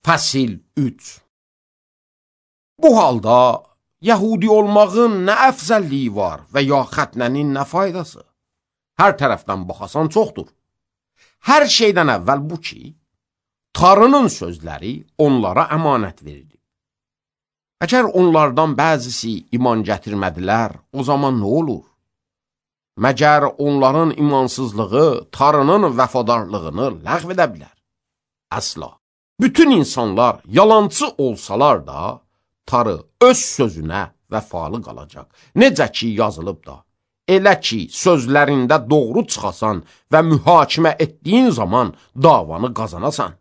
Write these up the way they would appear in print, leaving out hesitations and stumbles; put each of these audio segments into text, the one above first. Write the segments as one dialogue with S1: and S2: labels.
S1: Fəsil 3. Bu halda Yəhudi olmağın nə əfzəlliyi var və ya xətnənin nə faydası? Hər tərəfdən baxasan çoxdur. Hər şeydən əvvəl bu ki, Tanrının sözləri onlara əmanət verilib. Əgər onlardan bəzisi iman gətirmədilər, o zaman nə olur? Məgər onların imansızlığı Tanrının vəfadarlığını ləğv edə bilər? Əsla. Bütün insanlar yalançı olsalar da, Tanrı öz sözünə vəfalı qalacaq. Necə ki yazılıb da, elə ki sözlərində doğru çıxasan və mühakimə etdiyin zaman davanı qazanasan.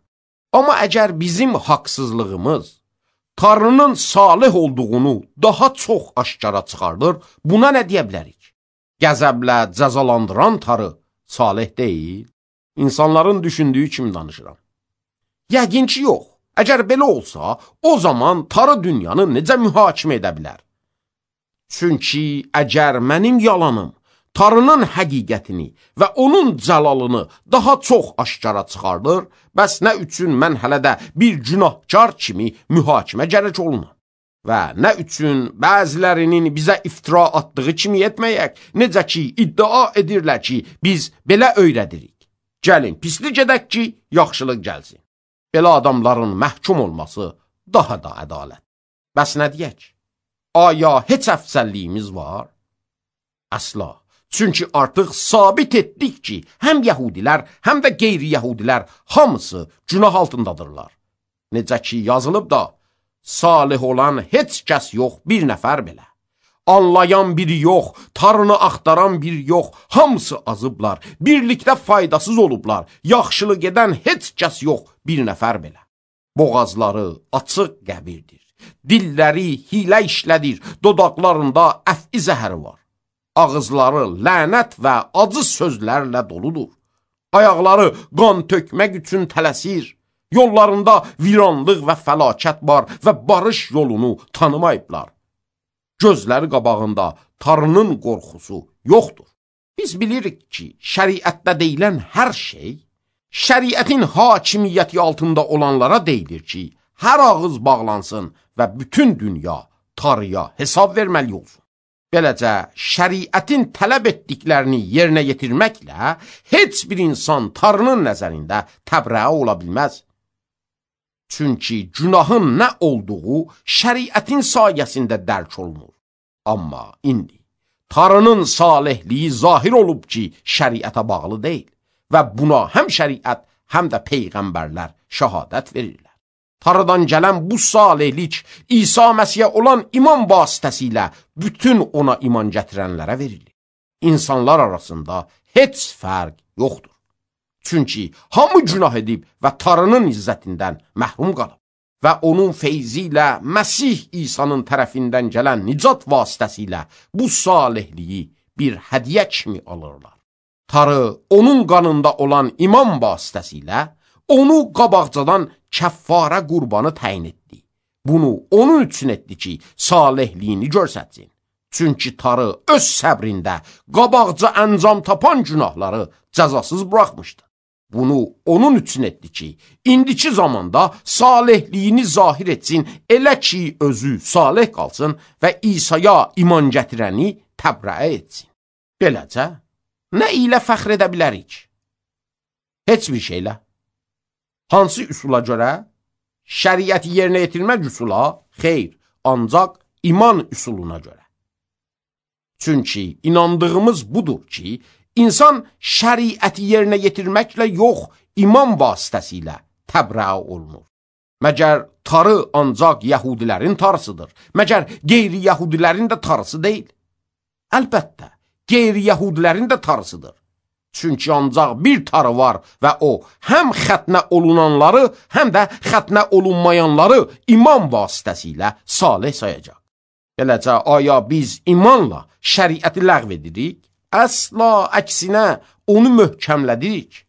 S1: Amma əgər bizim haqsızlığımız Tanrının salih olduğunu daha çox aşkara çıxardır, buna nə deyə bilərik? Qəzəblə cəzalandıran Tanrı salih deyil. İnsanların düşündüyü kimi danışıram. Yəqin ki, yox. Əgər belə olsa, o zaman Tanrı dünyanı necə mühakimə edə bilər? Çünki əgər mənim yalanım Tanrının həqiqətini və onun cəlalını daha çox aşkara çıxardır, bəs nə üçün mən hələ də bir günahkar kimi mühakimə gərək olunam? Və nə üçün bəzilərinin bizə iftira atdığı kimi etməyək, necə ki iddia edirlər ki, biz belə öyrədirik. Gəlin, pislik edək ki, yaxşılıq gəlsin. Belə adamların məhkum olması daha da ədalət. Bəs nə deyək? Aya heç əfsəlliyimiz var? Əsla. Çünki artıq sabit etdik ki, həm yəhudilər, həm də qeyri-yəhudilər hamısı günah altındadırlar. Necə ki yazılıb da, salih olan heç kəs yox, bir nəfər belə. Anlayan biri yox, Tanrını axtaran biri yox, hamısı azıblar, birlikdə faydasız olublar, yaxşılıq edən heç kəs yox, bir nəfər belə. Boğazları açıq qəbirdir, dilləri hilə işlədir, dodaqlarında əf'i zəhəri var. Ağızları lənət və acı sözlərlə doludur. Ayaqları qan tökmək üçün tələsir. Yollarında viranlıq və fəlakət var və barış yolunu tanımayıblar. Gözləri qabağında Tanrının qorxusu yoxdur. Biz bilirik ki, şəriətdə deyilən hər şey, şəriətin hakimiyyəti altında olanlara deyilir ki, hər ağız bağlansın və bütün dünya Tanrıya hesab verməli olsun. Beləcə, şəriətin tələb etdiklərini yerinə yetirməklə heç bir insan Tanrının nəzərində təbrəə ola bilməz. Çünki günahın nə olduğu şəriətin sayəsində dərk olunur. Amma indi Tanrının salihliyi zahir olub ki, şəriətə bağlı deyil və buna həm şəriət, həm də peyğəmbərlər şəhadət verirlər. Tanrıdan gələn bu salihlik İsa Məsihə olan iman vasitəsilə bütün ona iman gətirənlərə verilir. İnsanlar arasında heç fərq yoxdur. Çünki hamı günah edib və Tanrının izzətindən məhrum qalıb və onun feyzi ilə Məsih İsa'nın tərəfindən gələn nicat vasitəsilə bu salihliyi bir hədiyyə kimi alırlar. Tanrı onun qanında olan iman vasitəsilə onu qabaqcadan kəffara qurbanı təyin etdi. Bunu onun üçün etdi ki, salihliyini görsətsin. Çünki Tanrı öz səbrində qabaqca əncam tapan günahları cəzasız buraxmışdı. Bunu onun üçün etdi ki, indiki zamanda salihliyini zahir etsin, elə ki özü salih qalsın və İsa'ya iman gətirəni təbrəə etsin. Beləcə, nə ilə fəxr edə bilərik? Heç bir şeylə. Hansı üsula görə? Şəriəti yerinə yetirmək üsula? Xeyr, ancaq iman üsuluna görə. Çünki inandığımız budur ki, İnsan şəriəti yerinə yetirməklə yox, iman vasitəsilə təbrəə olunur. Məgər Tanrı ancaq yəhudilərin Tanrısıdır, məgər qeyri-yəhudilərin də Tanrısı deyil. Əlbəttə, qeyri-yəhudilərin də Tanrısıdır. Çünki ancaq bir Tanrı var və o, həm xətnə olunanları, həm də xətnə olunmayanları iman vasitəsilə salih sayacaq. Beləcə, aya biz imanla şəriəti ləğv edirik? Əsla əksinə onu möhkəmlədirik.